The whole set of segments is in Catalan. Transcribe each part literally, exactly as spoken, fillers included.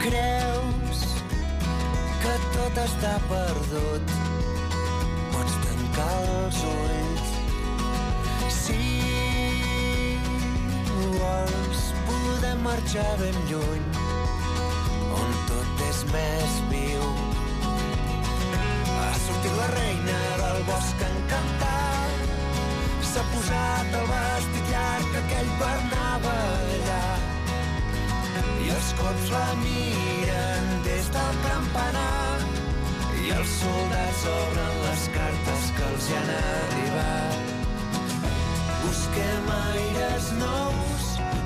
Creus que tot està perdut, pots tancar els ulls. Si vols podem marxar ben lluny, on tot és més viu. Ha sortit la reina del bosc encantat, s'ha posat el vestit llarg que aquell per anar a ballar, i els cops la miren des del campanar, i els soldats obren les cartes que els hi han arribat. Busquem aires nous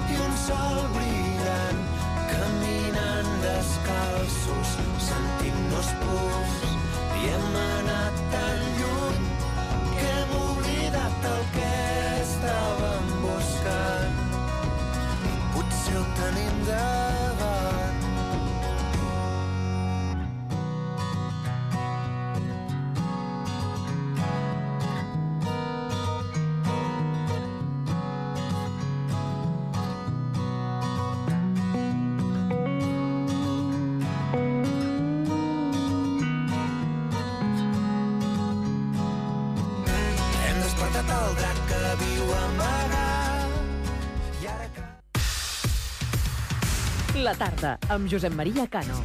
i un sol brillant, caminant descalços, sentint-nos purs, i hem anat tan lluny que hem oblidat el que estàvem buscant. Potser ho tenim davant. Hem despertat el drac que viu amagat, i ara que... La tarda, amb Josep Maria Cano.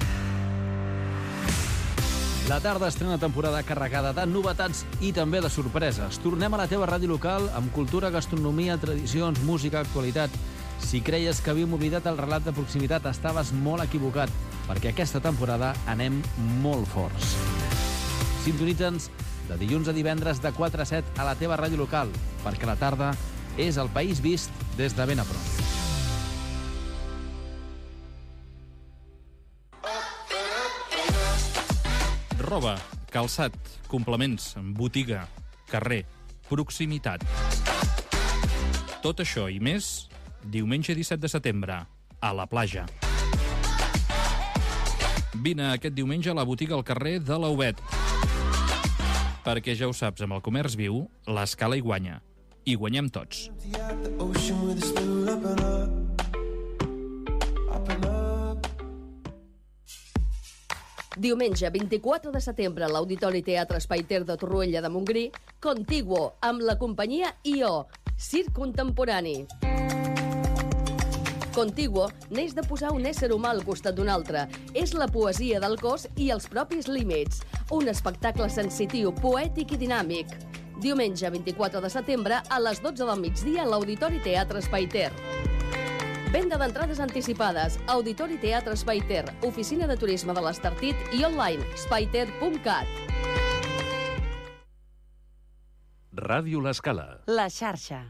La tarda estrena temporada carregada de novetats i també de sorpreses. Tornem a la teva ràdio local amb cultura, gastronomia, tradicions, música, actualitat. Si creies que havíem oblidat el relat de proximitat, estaves molt equivocat, perquè aquesta temporada anem molt forts. Sintonitza'ns de dilluns a divendres de quatre a set a la teva ràdio local, perquè la tarda és el país vist des de ben a prop. Roba, calçat, complements, botiga, carrer, proximitat. Tot això i més, diumenge disset de setembre, a la platja. Vine aquest diumenge a la botiga al carrer de l'Aubet. Perquè ja ho saps, amb el comerç viu, l'escala hi guanya. I guanyem tots. Diumenge vint-i-quatre de setembre a l'Auditori Teatre Espai Ter de Torroella de Montgrí, Contiguo, amb la companyia I O, circ contemporani. Contiguo neix de posar un ésser humà al costat d'un altre. És la poesia del cos i els propis límits. Un espectacle sensitiu, poètic i dinàmic. Diumenge vint-i-quatre de setembre a les dotze del migdia a l'Auditori Teatre Espai Ter. Venda d'entrades anticipades, Auditori Teatre Espai Ter, oficina de turisme de l'Estartit i online, espaiter punt cat. Ràdio L'Escala. La xarxa.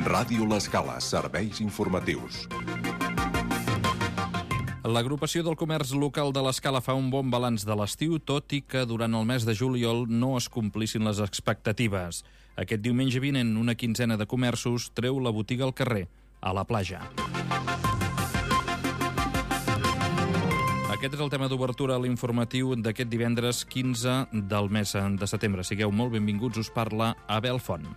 Ràdio L'Escala, serveis informatius. L'agrupació del comerç local de l'Escala fa un bon balanç de l'estiu, tot i que durant el mes de juliol no es complissin les expectatives. Aquest diumenge vinent, una quinzena de comerços treu la botiga al carrer, a la platja. Aquest és el tema d'obertura a l'informatiu d'aquest divendres quinze del mes de setembre. Sigueu molt benvinguts, us parla Abel Font.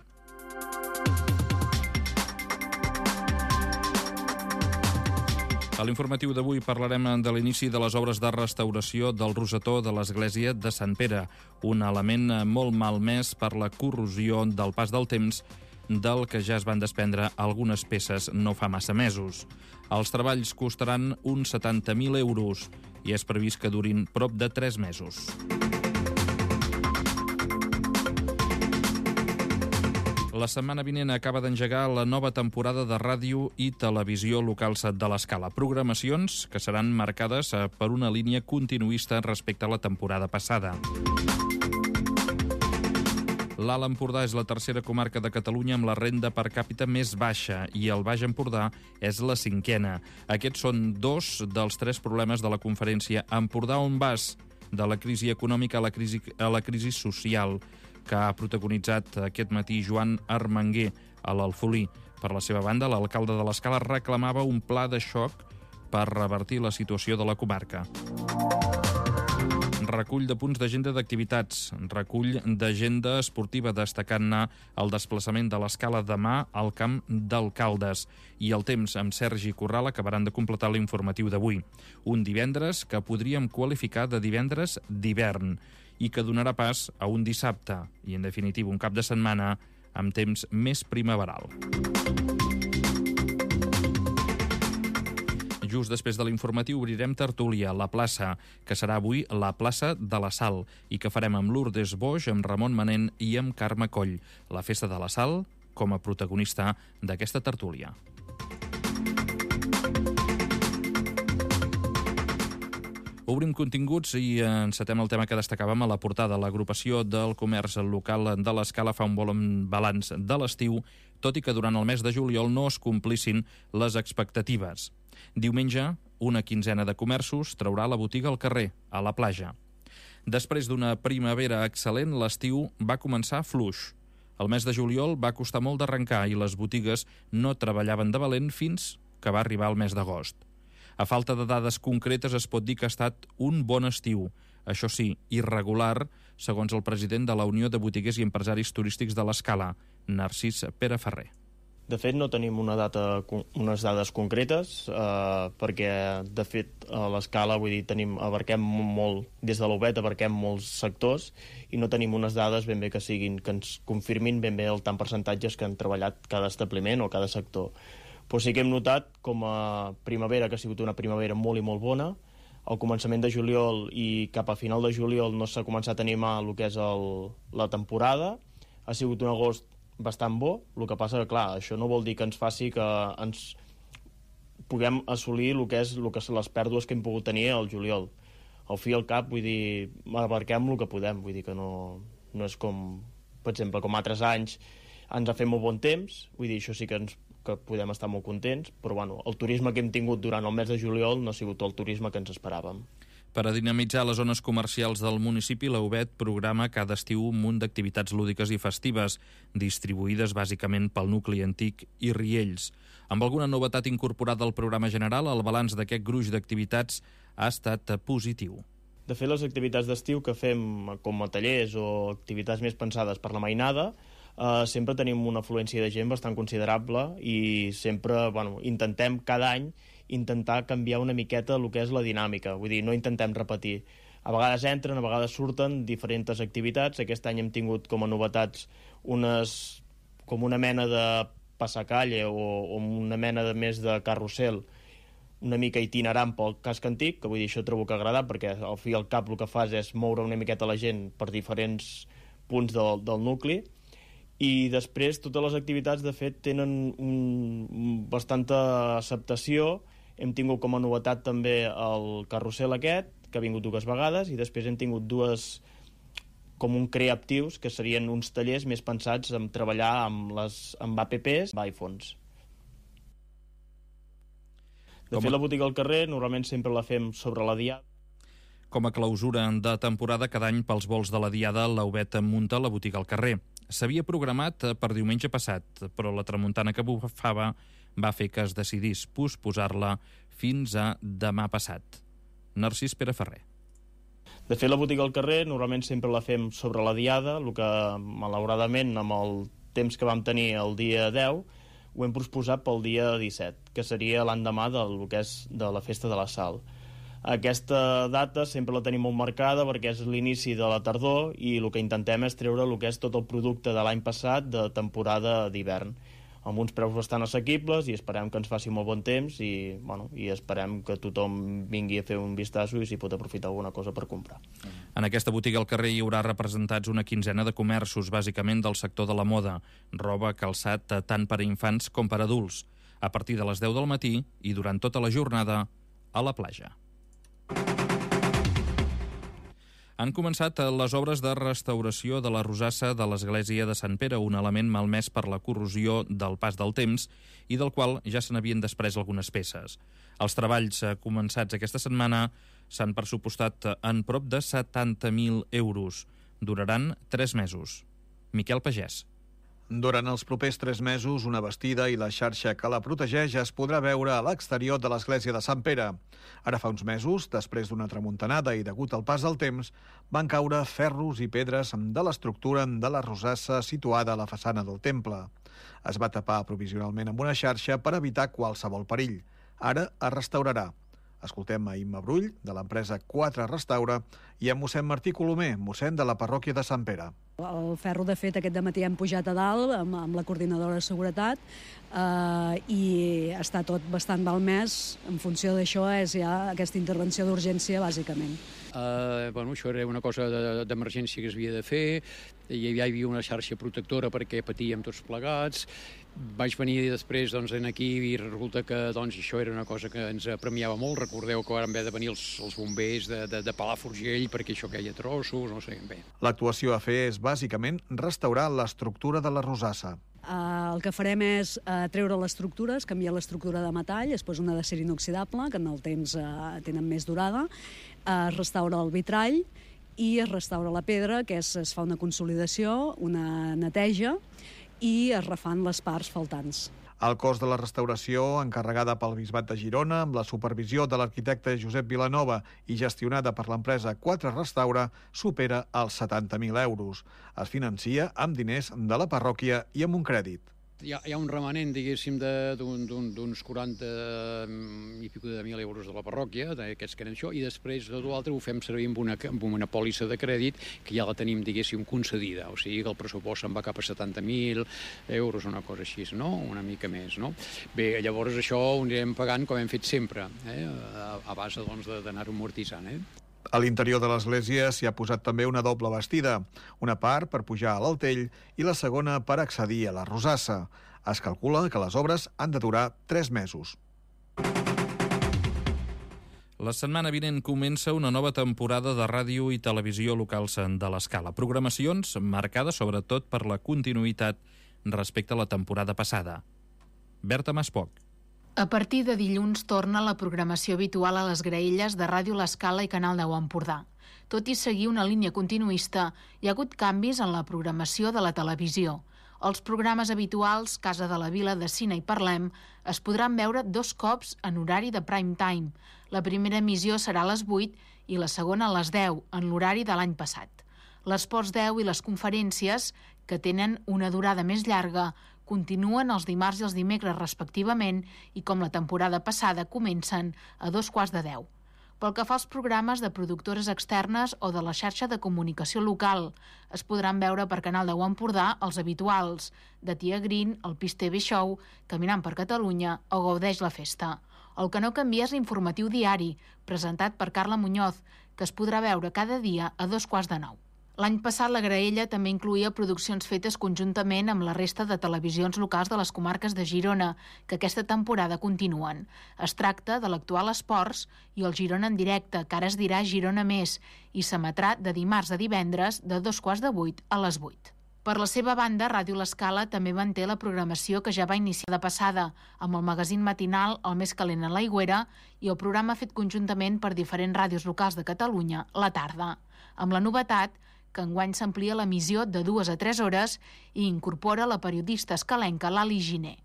A l'informatiu d'avui parlarem de l'inici de les obres de restauració del rosetó de l'església de Sant Pere, un element molt malmès per la corrosió del pas del temps, del que ja es van desprendre algunes peces no fa massa mesos. Els treballs costaran uns setanta mil euros i és previst que durin prop de tres mesos. La setmana vinent acaba d'engegar la nova temporada de ràdio i televisió locals de l'Escala. Programacions que seran marcades per una línia continuista respecte a la temporada passada. L'Alt Empordà és la tercera comarca de Catalunya amb la renda per càpita més baixa i el Baix Empordà és la cinquena. Aquests són dos dels tres problemes de la conferència Empordà on vas, de la crisi econòmica a la crisi, a la crisi social, que ha protagonitzat aquest matí Joan Armenguer a l'Alfolí. Per la seva banda, l'alcalde de l'Escala reclamava un pla de xoc per revertir la situació de la comarca. recull de punts d'agenda d'activitats, recull d'agenda esportiva, destacant-ne el desplaçament de l'escala demà al camp d'Alcaldes. I el temps amb Sergi Corral acabaran de completar l'informatiu d'avui. Un divendres que podríem qualificar de divendres d'hivern i que donarà pas a un dissabte i, en definitiva, un cap de setmana amb temps més primaveral. Just després de l'informatiu obrirem tertúlia a la plaça, que serà avui la plaça de la Sal, i que farem amb Lourdes Boix, amb Ramon Manent i amb Carme Coll. La festa de la Sal com a protagonista d'aquesta tertúlia. Obrim continguts i encetem el tema que destacàvem a la portada. L'agrupació del comerç local de l'Escala fa un bon balanç de l'estiu, tot i que durant el mes de juliol no es complissin les expectatives. Diumenge, una quinzena de comerços traurà la botiga al carrer, a la platja. Després d'una primavera excel·lent, l'estiu va començar fluix. El mes de juliol va costar molt d'arrencar i les botigues no treballaven de valent fins que va arribar el mes d'agost. A falta de dades concretes es pot dir que ha estat un bon estiu, això sí, irregular, segons el president de la Unió de Botiguers i Empresaris Turístics de l'Escala, Narcís Pere Ferrer. De fet, no tenim una data, unes dades concretes, eh, perquè, de fet, a l'Escala, vull dir, tenim, abarquem molt, des de l'U B E T abarquem molts sectors i no tenim unes dades ben bé que siguin, que ens confirmin ben bé el tant percentatges que han treballat cada establiment o cada sector. Però sí que hem notat com a primavera, que ha sigut una primavera molt i molt bona, al començament de juliol i cap a final de juliol no s'ha començat a animar el que és el, la temporada, ha sigut un agost bastant bo, el que passa que, clar, això no vol dir que ens faci que ens puguem assolir el que és, el que són les pèrdues que hem pogut tenir al juliol. Al fi i al cap, vull dir, abarquem el que podem, vull dir que no, no és com, per exemple, com altres anys ens ha fet molt bon temps, vull dir, això sí que ens que podem estar molt contents, però bueno, el turisme que hem tingut durant el mes de juliol no ha sigut el turisme que ens esperàvem. Per a dinamitzar les zones comercials del municipi, la U B E T programa cada estiu un munt d'activitats lúdiques i festives, distribuïdes bàsicament pel nucli antic i Riells. Amb alguna novetat incorporada al programa general, el balanç d'aquest gruix d'activitats ha estat positiu. De fet, les activitats d'estiu que fem com a tallers o activitats més pensades per la mainada, eh, sempre tenim una afluència de gent bastant considerable i sempre, bueno, intentem cada any intentar canviar una miqueta el que és la dinàmica, vull dir, no intentem repetir. A vegades entren, a vegades surten diferents activitats. Aquest any hem tingut com a novetats unes, com una mena de passacalle o, o una mena de més de carrusel una mica itinerant pel casc antic, que vull dir, això trobo que ha agradat, perquè al fi i al cap el que fas és moure una miqueta la gent per diferents punts del, del nucli. I després totes les activitats, de fet, tenen un, bastanta acceptació. Hem tingut com a novetat també el carrusel aquest, que ha vingut dues vegades, i després hem tingut dues com un creatius, que serien uns tallers més pensats en treballar amb, les, amb apps, amb iPhones. De Com a... fet, la botiga al carrer normalment sempre la fem sobre la diada. Com a clausura de temporada, cada any pels vols de la diada, la U B E T munta la botiga al carrer. S'havia programat per diumenge passat, però la tramuntana que bufava va fer que es decidís posposar-la fins a demà passat. Narcís Pere Ferrer. De fet, la botiga al carrer normalment sempre la fem sobre la diada, el que malauradament amb el temps que vam tenir el dia deu ho hem posposat pel dia disset, que seria l'endemà del que és de la festa de la Sal. Aquesta data sempre la tenim molt marcada perquè és l'inici de la tardor i el que intentem és treure el que és tot el producte de l'any passat de temporada d'hivern, amb uns preus bastant assequibles, i esperem que ens faci molt bon temps i, bueno, i esperem que tothom vingui a fer un vistazo i s'hi pot aprofitar alguna cosa per comprar. En aquesta botiga al carrer hi haurà representats una quinzena de comerços, bàsicament del sector de la moda, roba, calçat, tant per a infants com per a adults, a partir de les deu del matí i durant tota la jornada a la platja. Han començat les obres de restauració de la rosassa de l'església de Sant Pere, un element malmès per la corrosió del pas del temps i del qual ja se n'havien desprès algunes peces. Els treballs començats aquesta setmana s'han pressupostat en prop de setanta mil euros. Duraran tres mesos. Miquel Pagès. Durant els propers tres mesos, una bastida i la xarxa que la protegeix es podrà veure a l'exterior de l'església de Sant Pere. Ara fa uns mesos, després d'una tramuntanada i degut al pas del temps, van caure ferros i pedres de l'estructura de la rosassa situada a la façana del temple. Es va tapar provisionalment amb una xarxa per evitar qualsevol perill. Ara es restaurarà. Escoltem a Imma Brull, de l'empresa quatre Restaura, i a mossèn Martí Colomer, mossèn de la parròquia de Sant Pere. El ferro, de fet, aquest dematí hem pujat a dalt amb, amb la coordinadora de seguretat eh, i està tot bastant malmès. En funció d'això és ja aquesta intervenció d'urgència, bàsicament. Uh, bueno, això era una cosa d'emergència que es havia de fer, hi havia una xarxa protectora perquè patíem tots plegats. Vaig venir després doncs, aquí i resulta que doncs, això era una cosa que ens apremiava molt. Recordeu que van haver de venir els, els bombers de, de, de Palafrugell perquè això queia trossos, no sé bé. L'actuació a fer és bàsicament restaurar l'estructura de la rosassa. Uh, el que farem és uh, treure l'estructura, es canvia l'estructura de metall, es posa una d'acer inoxidable, que en el temps uh, tenen més durada, uh, es restaura el vitrall i es restaura la pedra, que és, es fa una consolidació, una neteja, i es refan les parts faltants. El cost de la restauració, encarregada pel Bisbat de Girona, amb la supervisió de l'arquitecte Josep Vilanova i gestionada per l'empresa quatre Restaura, supera els setanta mil euros. Es financia amb diners de la parròquia i amb un crèdit. Hi ha, hi ha un remanent, diguéssim, d'uns quaranta i pico de mil euros de la parròquia, d'aquests que eren això, i després tot l'altre ho fem servir amb una, amb una pòlissa de crèdit que ja la tenim, diguéssim, concedida. O sigui que el pressupost se'n va cap a setanta mil euros, una cosa així, no? Una mica més, no? Bé, llavors això ho anirem pagant com hem fet sempre, eh? a, a base doncs, d'anar-ho amortitzant, eh? A l'interior de l'església s'hi ha posat també una doble bastida, una part per pujar a l'altell i la segona per accedir a la rosassa. Es calcula que les obres han de durar tres mesos. La setmana vinent comença una nova temporada de ràdio i televisió locals de l'Escala. Programacions marcades sobretot per la continuïtat respecte a la temporada passada. Berta Maspoc. A partir de dilluns torna la programació habitual a les graelles de Ràdio L'Escala i Canal deu Empordà. Tot i seguir una línia continuista, hi ha hagut canvis en la programació de la televisió. Els programes habituals, Casa de la Vila, de Cine i Parlem, es podran veure dos cops en horari de prime time. La primera emissió serà a les vuit i la segona a les deu, en l'horari de l'any passat. L'Esports deu i les conferències, que tenen una durada més llarga, continuen els dimarts i els dimecres respectivament i, com la temporada passada, comencen a dos quarts de deu. Pel que fa als programes de productores externes o de la xarxa de comunicació local, es podran veure per Canal deu Empordà els habituals, de Tia Green, el Pis T V Show, Caminant per Catalunya o Gaudeix la Festa. El que no canvia és l'informatiu diari, presentat per Carla Muñoz, que es podrà veure cada dia a dos quarts de nou. L'any passat la graella també incluïa produccions fetes conjuntament amb la resta de televisions locals de les comarques de Girona, que aquesta temporada continuen. Es tracta de l'actual Esports i el Girona en directe, que ara es dirà Girona Més, i s'emetrà de dimarts a divendres de dos quarts de vuit a les vuit. Per la seva banda, Ràdio L'Escala també manté la programació que ja va iniciar de passada, amb el magazín matinal El més calent a l'Aigüera i el programa fet conjuntament per diferents ràdios locals de Catalunya, La Tarda. Amb la novetat que enguany s'amplia l'emissió de dues a tres hores i incorpora la periodista escalenca Lali Giner.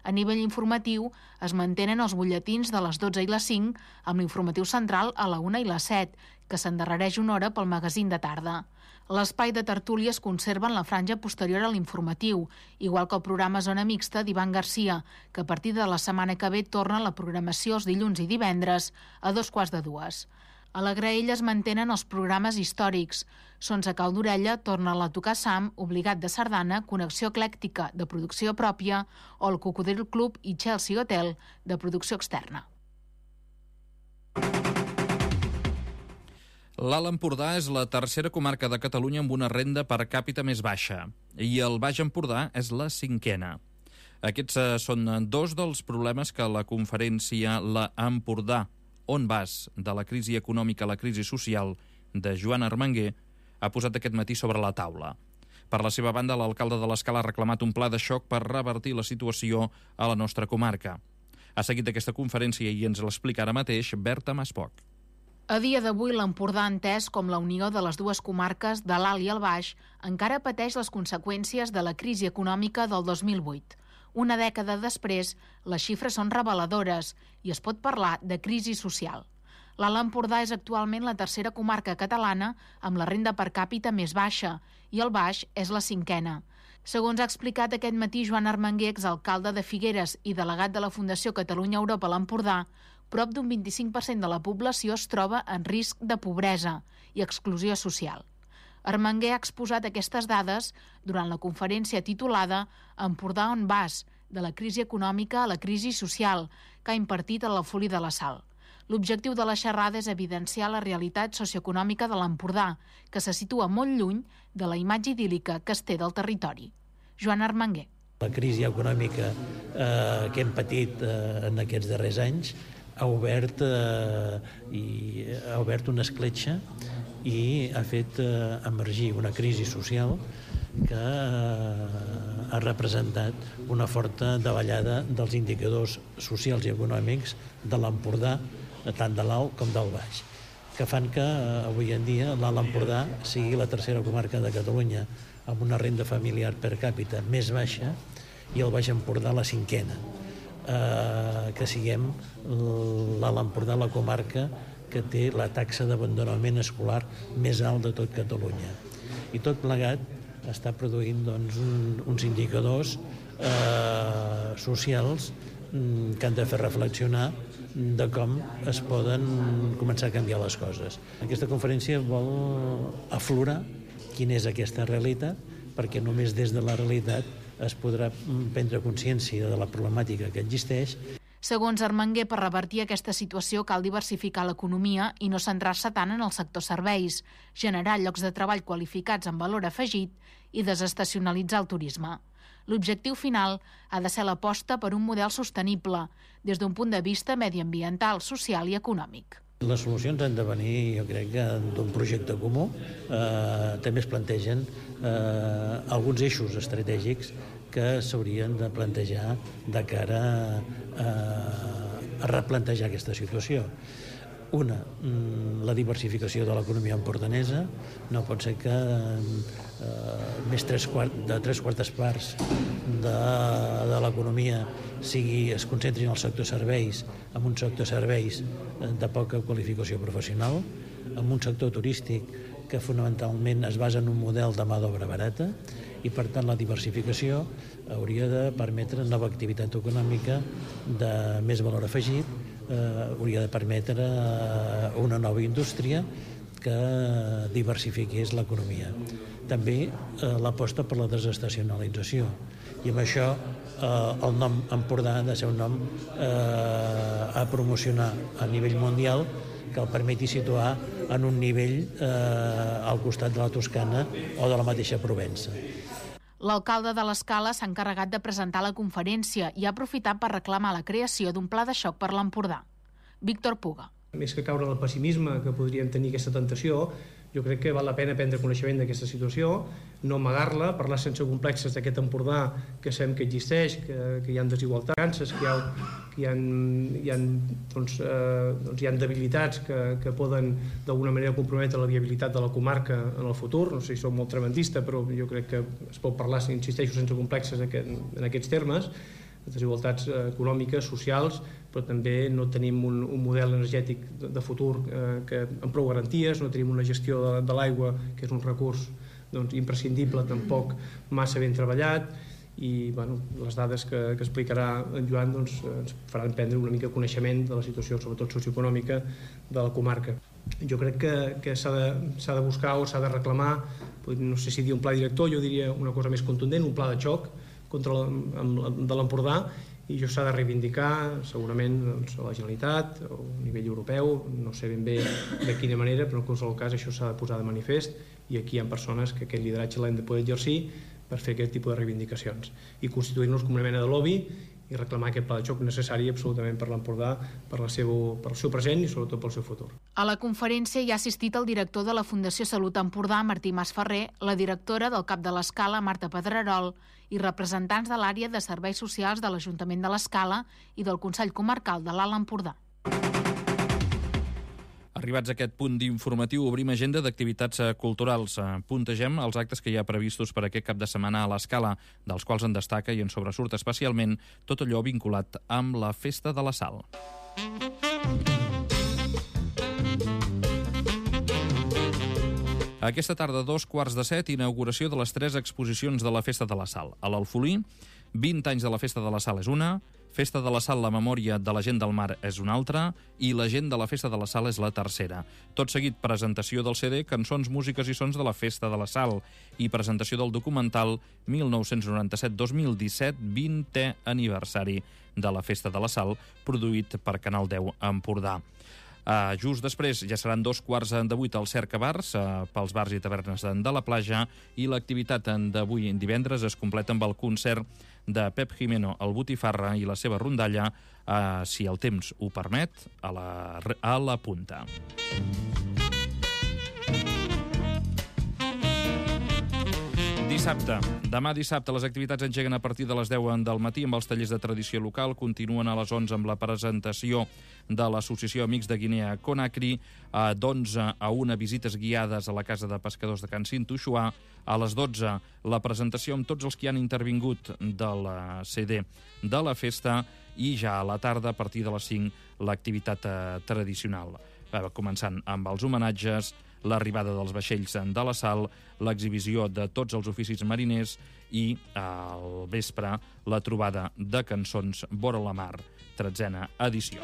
A nivell informatiu es mantenen els butlletins de les dotze i les cinc, amb l'informatiu central a la una i les set, que s'endarrereix una hora pel magazín de tarda. L'espai de tertúlia es conserva en la franja posterior a l'informatiu, igual que el programa Zona Mixta d'Ivan Garcia, que a partir de la setmana que ve torna a la programació els dilluns i divendres a dos quarts de dues. A la graella es mantenen els programes històrics. Sons a cau d'orella torna a tocar Sam, Obligat de Sardana, Connexió Eclèctica, de producció pròpia, o el Cocodril Club i Chelsea Hotel, de producció externa. L'Alt Empordà és la tercera comarca de Catalunya amb una renda per càpita més baixa i el Baix Empordà és la cinquena. Aquests eh, són dos dels problemes que la conferència La Empordà, on vas, de la crisi econòmica a la crisi social, de Joan Armenguer, ha posat aquest matí sobre la taula. Per la seva banda, l'alcalde de l'Escala ha reclamat un pla de xoc per revertir la situació a la nostra comarca. Ha seguit aquesta conferència i ens l'explica ara mateix Berta Maspoc. A dia d'avui, l'Empordà, entès com la unió de les dues comarques de l'Alt i el Baix, encara pateix les conseqüències de la crisi econòmica del dos mil vuit. Una dècada després, les xifres són reveladores i es pot parlar de crisi social. L'Alt Empordà és actualment la tercera comarca catalana amb la renda per càpita més baixa i el Baix és la cinquena. Segons ha explicat aquest matí Joan Armenguer, exalcalde de Figueres i delegat de la Fundació Catalunya-Europa a l'Empordà, prop d'un vint-i-cinc per cent de la població es troba en risc de pobresa i exclusió social. Armenguer ha exposat aquestes dades durant la conferència titulada Empordà on vas? De la crisi econòmica a la crisi social, que ha impartit a l'Alfolí de la Sal. L'objectiu de la xerrada és evidenciar la realitat socioeconòmica de l'Empordà, que se situa molt lluny de la imatge idíl·lica que es té del territori. Joan Armenguer. La crisi econòmica eh, que hem patit eh, en aquests darrers anys ha obert, eh, i ha obert una escletxa i ha fet eh, emergir una crisi social que eh, ha representat una forta davallada dels indicadors socials i econòmics de l'Empordà, tant de l'Alt com del Baix, que fan que eh, avui en dia l'Alt Empordà sigui la tercera comarca de Catalunya amb una renda familiar per càpita més baixa i el Baix Empordà la cinquena. Eh, que siguem l'Alt Empordà la comarca que té la taxa d'abandonament escolar més alt de tot Catalunya. I tot plegat està produint doncs, un, uns indicadors eh, socials mm, que han de fer reflexionar de com es poden començar a canviar les coses. Aquesta conferència vol aflorar quina és aquesta realitat, perquè només des de la realitat es podrà prendre consciència de la problemàtica que existeix. Segons Armenguer, per revertir aquesta situació cal diversificar l'economia i no centrar-se tant en el sector serveis, generar llocs de treball qualificats amb valor afegit i desestacionalitzar el turisme. L'objectiu final ha de ser l'aposta per un model sostenible, des d'un punt de vista mediambiental, social i econòmic. Les solucions han de venir, jo crec, d'un projecte comú. Eh, també es plantegen eh, alguns eixos estratègics que s'haurien de plantejar de cara a, a replantejar aquesta situació. Una, la diversificació de l'economia empordanesa. No pot ser que eh, més tres quart, de tres quartes parts de, de l'economia sigui, es concentri en el sector serveis, en un sector serveis de poca qualificació professional, en un sector turístic que fonamentalment es basa en un model de mà d'obra barata, i per tant la diversificació hauria de permetre nova activitat econòmica de més valor afegit, eh, hauria de permetre una nova indústria que diversifiqués l'economia. També eh, l'aposta per la desestacionalització, i amb això eh, el nom Empordà ha de ser un nom eh, a promocionar a nivell mundial, que el permeti situar en un nivell eh, al costat de la Toscana o de la mateixa Provença. L'alcalde de l'Escala s'ha encarregat de presentar la conferència i ha aprofitat per reclamar la creació d'un pla de xoc per l'Empordà. Víctor Puga. Més que caure en el pessimisme que podríem tenir aquesta tentació, jo crec que val la pena prendre coneixement d'aquesta situació, no amagar-la, parlar sense complexes d'aquest Empordà que sabem que existeix, que, que hi ha desigualtats, que hi ha, que hi ha, hi ha, doncs, eh, doncs hi ha debilitats que, que poden d'alguna manera comprometre la viabilitat de la comarca en el futur. No sé si soc molt tremendista, però jo crec que es pot parlar, insisteixo, sense complexes en aquests termes, desigualtats econòmiques, socials, però també no tenim un, un model energètic de, de futur eh, que, amb prou garanties, no tenim una gestió de, de l'aigua, que és un recurs doncs, imprescindible, tampoc massa ben treballat, i bueno, les dades que, que explicarà en Joan doncs, ens faran prendre una mica coneixement de la situació, sobretot socioeconòmica, de la comarca. Jo crec que, que s'ha de, s'ha de buscar o s'ha de reclamar, no sé si dir un pla director, jo diria una cosa més contundent, un pla de xoc contra la, amb, de l'Empordà, i això s'ha de reivindicar segurament doncs, a la Generalitat o a nivell europeu, no sé ben bé de quina manera, però en qualsevol cas això s'ha de posar de manifest, i aquí hi ha persones que aquest lideratge l'hem de poder exercir per fer aquest tipus de reivindicacions i constituir-nos com una mena de lobby i reclamar aquest pla de xoc necessari absolutament per l'Empordà, per, la seu, per el seu present i sobretot pel seu futur. A la conferència hi ha assistit el director de la Fundació Salut Empordà, Martí Masferrer, la directora del CAP de l'Escala, Marta Pedrerol, i representants de l'àrea de serveis socials de l'Ajuntament de l'Escala i del Consell Comarcal de l'Alt Empordà. Arribats a aquest punt d'informatiu, obrim agenda d'activitats culturals. Puntegem els actes que hi ha previstos per aquest cap de setmana a l'Escala, dels quals en destaca i en sobresurt especialment tot allò vinculat amb la Festa de la Sal. Aquesta tarda, dos quarts de set, inauguració de les tres exposicions de la Festa de la Sal. A l'Alfolí, vint anys de la Festa de la Sal és una, Festa de la Sal, la memòria de la gent del mar és una altra, i la gent de la Festa de la Sal és la tercera. Tot seguit, presentació del C D, cançons, músiques i sons de la Festa de la Sal, i presentació del documental mil nou-cents noranta-set dos mil disset, vintè aniversari de la Festa de la Sal, produït per Canal deu Empordà. Uh, just després ja seran dos quarts de vuit al Cerca Bars, uh, pels bars i tavernes de la platja, i l'activitat d'avui divendres es completa amb el concert de Pep Jimeno, el Botifarra i la seva rondalla, uh, si el temps ho permet, a la, a la punta. Dissabte. Demà dissabte les activitats engeguen a partir de les deu del matí amb els tallers de tradició local. Continuen a les onze amb la presentació de l'Associació Amics de Guinea Conakry, d'onze a una visites guiades a la Casa de Pescadors de Can Cintuixuà, a les dotze la presentació amb tots els que han intervingut del C D de la festa i ja a la tarda, a partir de les cinc, l'activitat tradicional. Començant amb els homenatges, l'arribada dels vaixells de la Sal, l'exhibició de tots els oficis mariners i, al vespre, la trobada de cançons vora la mar, tretzena edició.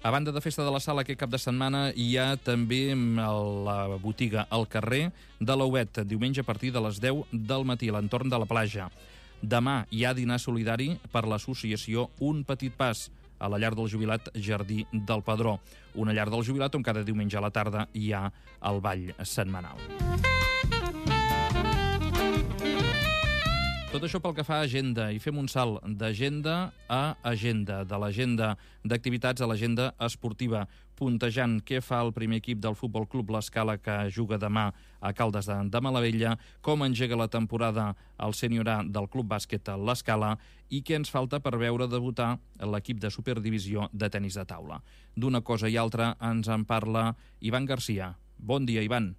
A banda de Festa de la Sal, aquest cap de setmana hi ha també la botiga al carrer de l'Ouet, diumenge a partir de les deu del matí, a l'entorn de la platja. Demà hi ha dinar solidari per l'associació Un Petit Pas, a la llar del jubilat Jardí del Padró, una llar del jubilat on cada diumenge a la tarda hi ha el ball setmanal. Tot això pel que fa a agenda, i fem un salt d'agenda a agenda, de l'agenda d'activitats a l'agenda esportiva, puntejant què fa el primer equip del Futbol Club L'Escala, que juga demà a Caldes de, de Malavella, com engega la temporada el sènior A del Club Bàsquet L'Escala i què ens falta per veure debutar l'equip de Superdivisió de tenis de taula. D'una cosa i altra ens en parla Ivan Garcia. Bon dia, Ivan.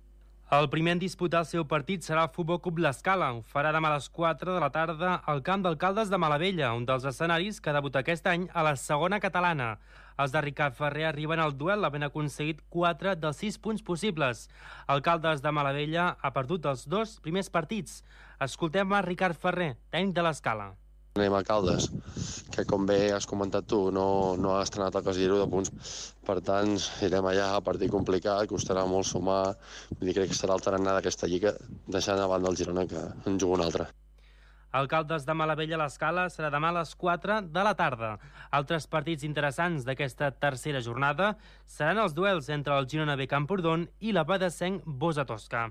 El primer en disputar el seu partit serà el Futbol Club L'Escala. Ho farà demà a les quatre de la tarda al camp d'Alcaldes de Malavella, un dels escenaris que debuta aquest any a la segona catalana. Els de Ricard Ferrer arriben al duel havent aconseguit quatre dels sis punts possibles. Alcaldes de Malavella ha perdut els dos primers partits. Escoltem a Ricard Ferrer, tècnic de l'Escala. Anem a Caldes, que com bé has comentat tu, no, no ha estrenat el casillero de punts. Per tant, irem allà, partit complicat, costarà molt sumar. Vull dir, crec que serà el tarannà d'aquesta lliga, deixant a banda el Girona, que en juga un altre. Alcaldes de Malavella a l'Escala serà demà a les quatre de la tarda. Altres partits interessants d'aquesta tercera jornada seran els duels entre el Girona B Camprodon i la Badesenc Bosa Tosca.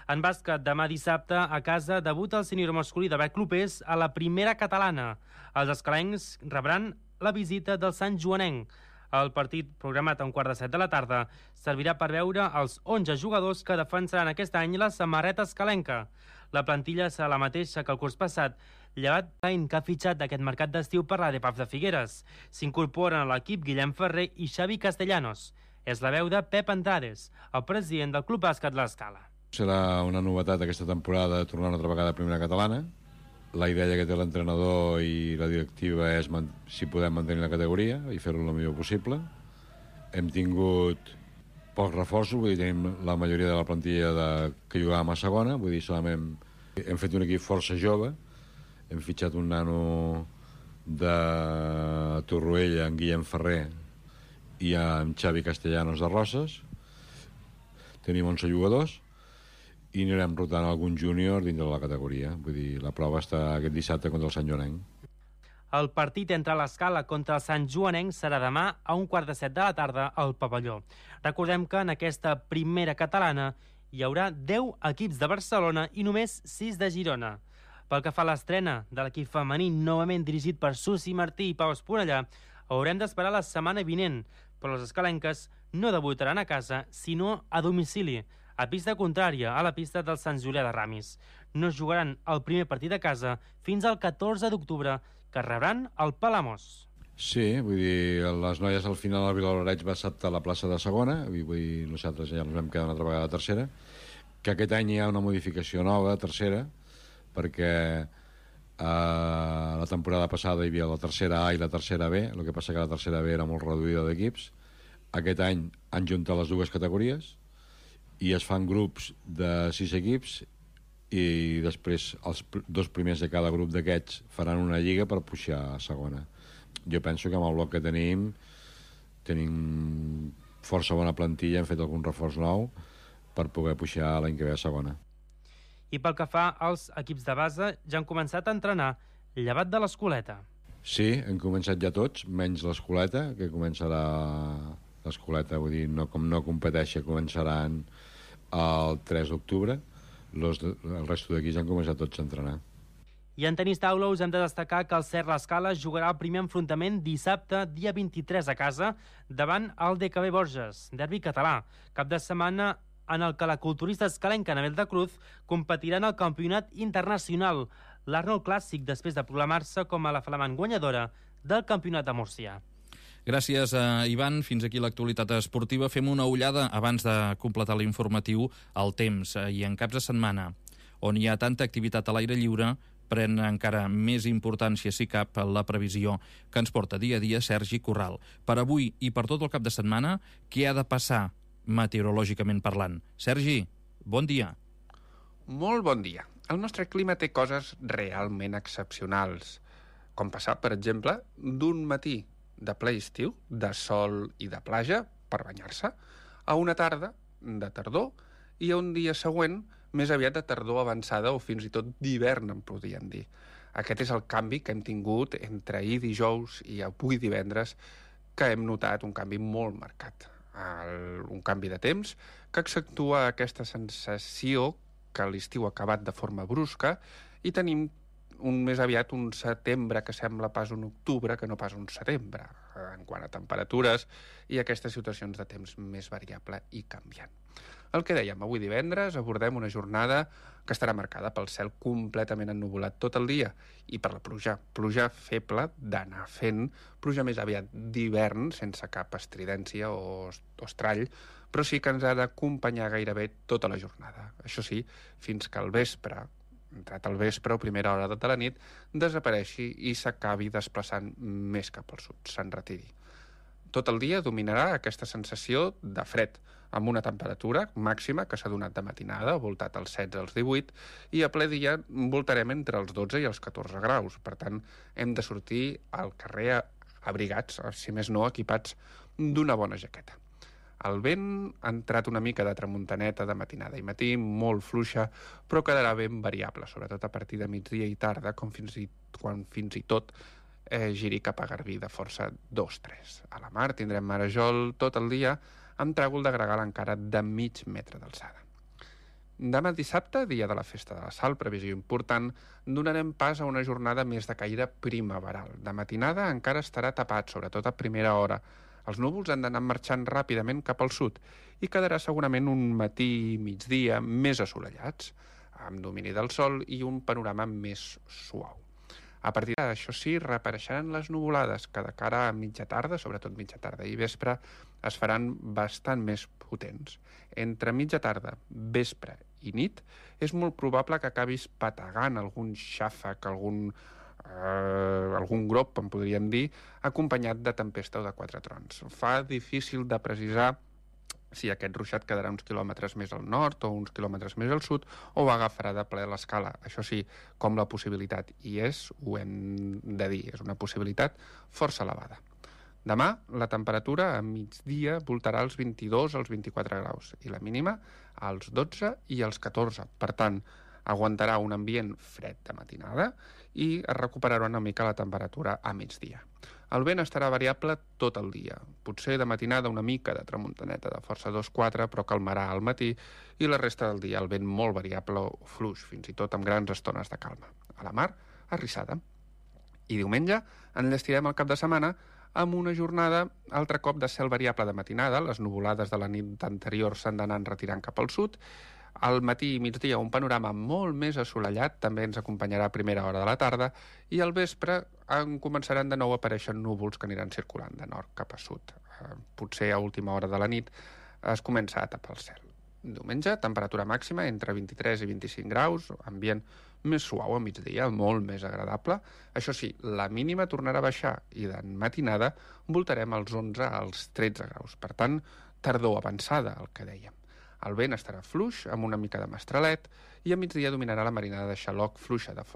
En bàsquet, demà dissabte, a casa, debuta el sènior masculí de Bec Clopés a la primera catalana. Els escalencs rebran la visita del Sant Joanenc. El partit, programat a un quart de set de la tarda, servirà per veure els onze jugadors que defensaran aquest any la samarreta escalenca. La plantilla serà la mateixa que el curs passat, llevat l'any que ha fitxat d'aquest mercat d'estiu per l'A D P A F de Figueres. S'incorporen a l'equip Guillem Ferrer i Xavi Castellanos. És la veu de Pep Andrades, el president del Club Bàsquet L'Escala. Serà una novetat aquesta temporada tornar una altra vegada a primera catalana. La idea que té l'entrenador i la directiva és si podem mantenir la categoria i fer-ho el millor possible. Hem tingut pocs reforços, vull dir, tenim la majoria de la plantilla de, que jugàvem a segona, vull dir, solament hem fet un equip força jove, hem fitxat un nano de Torroella, en Guillem Ferrer, i en Xavi Castellanos de Roses. Tenim onze jugadors i anirem rotant algun júnior dintre de la categoria. Vull dir, la prova està aquest dissabte contra el Sant Joanenc. El partit entre l'Escala contra el Sant Joanenc serà demà a un quart de set de la tarda al pavelló. Recordem que en aquesta primera catalana hi haurà deu equips de Barcelona i només sis de Girona. Pel que fa a l'estrena de l'equip femení, novament dirigit per Susi Martí i Pau Esponellà, haurem d'esperar la setmana vinent, però les escalenques no debutaran a casa, sinó a domicili, a pista contrària, a la pista del Sant Julià de Ramis. No jugaran el primer partit a casa fins al catorze d'octubre, que rebran el Palamós. Sí, vull dir, les noies al final al Vilablareix va acceptar la plaça de segona, vull dir, nosaltres ja ens vam quedar una altra vegada a tercera, que aquest any hi ha una modificació nova, tercera, perquè eh, la temporada passada hi havia la tercera A i la tercera B, el que passa que la tercera B era molt reduïda d'equips. Aquest any han juntat les dues categories i es fan grups de sis equips i després els dos primers de cada grup d'aquests faran una lliga per pujar a segona. Jo penso que amb el bloc que tenim tenim força bona plantilla, hem fet algun reforç nou per poder pujar l'any que ve a segona. I pel que fa als equips de base, ja han començat a entrenar, llevat de l'Escoleta. Sí, hem començat ja tots, menys l'Escoleta, que començarà l'Escoleta, vull dir, no, com no competeixi, començaran el tres d'octubre. Los, el resto d'aquí ja han començat tots a entrenar. I en tenis taula us hem de destacar que el Cert l'Escala jugarà el primer enfrontament dissabte, dia vint-i-tres a casa, davant el D K B Borges, derbi català. Cap de setmana en el que la culturista escalenca Anabel de Cruz competirà en el campionat internacional, l'Arnold Clàssic, després de proclamar-se com a la flamant guanyadora del campionat de Múrcia. Gràcies, a Ivan. Fins aquí l'actualitat esportiva. Fem una ullada, abans de completar l'informatiu, al temps. I en caps de setmana, on hi ha tanta activitat a l'aire lliure, pren encara més importància, si cap, la previsió que ens porta dia a dia Sergi Corral. Per avui i per tot el cap de setmana, què ha de passar meteorològicament parlant? Sergi, bon dia. Molt bon dia. El nostre clima té coses realment excepcionals, com passar, per exemple, d'un matí de ple estiu, de sol i de platja, per banyar-se, a una tarda de tardor i a un dia següent més aviat de tardor avançada o fins i tot d'hivern, en podríem dir. Aquest és el canvi que hem tingut entre ahir dijous i avui divendres, que hem notat un canvi molt marcat. El, un canvi de temps que accentua aquesta sensació que l'estiu ha acabat de forma brusca i tenim un més aviat un setembre que sembla pas un octubre que no pas un setembre, en quant a temperatures i aquestes situacions de temps més variable i canviant. El que dèiem, avui divendres abordem una jornada que estarà marcada pel cel completament ennuvolat tot el dia i per la pluja. Pluja feble d'anar fent, pluja més aviat d'hivern, sense cap estridència o, o estrall, però sí que ens ha d'acompanyar gairebé tota la jornada. Això sí, fins que al vespre, entrat al vespre o primera hora de la nit, desapareixi i s'acabi desplaçant més cap al sud, se'n retiri. Tot el dia dominarà aquesta sensació de fred, amb una temperatura màxima que s'ha donat de matinada, voltat als setze als divuit, i a ple dia voltarem entre els dotze i els catorze graus. Per tant, hem de sortir al carrer abrigats, si més no equipats d'una bona jaqueta. El vent ha entrat una mica de tramuntaneta de matinada i matí, molt fluixa, però quedarà ben variable, sobretot a partir de migdia i tarda, com fins i, quan fins i tot eh, giri cap a Garbí de força dos tres. A la mar tindrem marejol tot el dia, amb tràgol de gregal encara de mig metre d'alçada. Demà dissabte, dia de la Festa de la Sal, previsió important, donarem pas a una jornada més de caire primaveral. De matinada encara estarà tapat, sobretot a primera hora. Els núvols han d'anar marxant ràpidament cap al sud i quedarà segurament un matí i migdia més assolellats, amb domini del sol i un panorama més suau. A partir d'això sí, reapareixeran les nuvolades, que de cara a mitja tarda, sobretot mitja tarda i vespre, es faran bastant més potents. Entre mitja tarda, vespre i nit, és molt probable que acabis pategant algun xàfec, algun, eh, algun grop, en podríem dir, acompanyat de tempesta o de quatre trons. Fa difícil de precisar si aquest ruixat quedarà uns quilòmetres més al nord o uns quilòmetres més al sud o agafarà de ple l'escala. Això sí, com la possibilitat, i és, ho hem de dir, és una possibilitat força elevada. Demà, la temperatura a migdia voltarà als vint-i-dos als vint-i-quatre graus i la mínima als dotze i als catorze. Per tant, aguantarà un ambient fred de matinada i es recuperarà una mica la temperatura a migdia. El vent estarà variable tot el dia. Potser de matinada una mica de tramuntaneta de força dos quatre, però calmarà al matí, i la resta del dia el vent molt variable o fluix, fins i tot amb grans estones de calma. A la mar, arrissada. I diumenge enllestirem el cap de setmana amb una jornada altre cop de cel variable de matinada. Les nuvolades de la nit anterior s'han d'anar retirant cap al sud, Al matí i migdia un panorama molt més assolellat, també ens acompanyarà a primera hora de la tarda, i al vespre en començaran de nou a aparèixer núvols que aniran circulant de nord cap a sud. Eh, potser a última hora de la nit es comença a tapar el cel. Diumenge, temperatura màxima entre vint-i-tres i vint-i-cinc graus, ambient més suau a migdia, molt més agradable. Això sí, la mínima tornarà a baixar i de matinada voltarem als onze als tretze graus. Per tant, tardor avançada, el que dèiem. El vent estarà fluix, amb una mica de mestralet, i a migdia dominarà la marinada de xaloc fluixa de